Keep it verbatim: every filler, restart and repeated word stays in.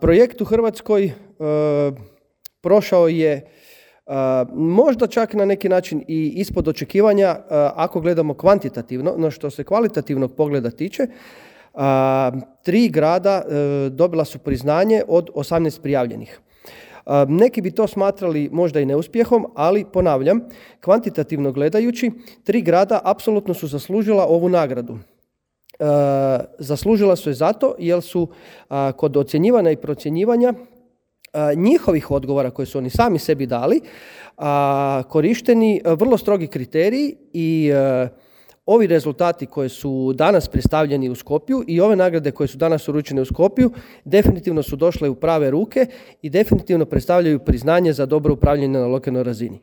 Projekt u Hrvatskoj e, prošao je e, možda čak na neki način i ispod očekivanja e, ako gledamo kvantitativno, no što se kvalitativnog pogleda tiče. A, tri grada e, dobila su priznanje od osamnaest prijavljenih. A, neki bi to smatrali možda i neuspjehom, ali ponavljam, kvantitativno gledajući, tri grada apsolutno su zaslužila ovu nagradu. E, zaslužila su je zato jer su a, kod ocjenjivanja i procjenjivanja a, njihovih odgovora koje su oni sami sebi dali a, korišteni a, vrlo strogi kriteriji i a, ovi rezultati koji su danas predstavljeni u Skopju i ove nagrade koje su danas uručene u Skopju definitivno su došle u prave ruke i definitivno predstavljaju priznanje za dobro upravljanje na lokalnoj razini.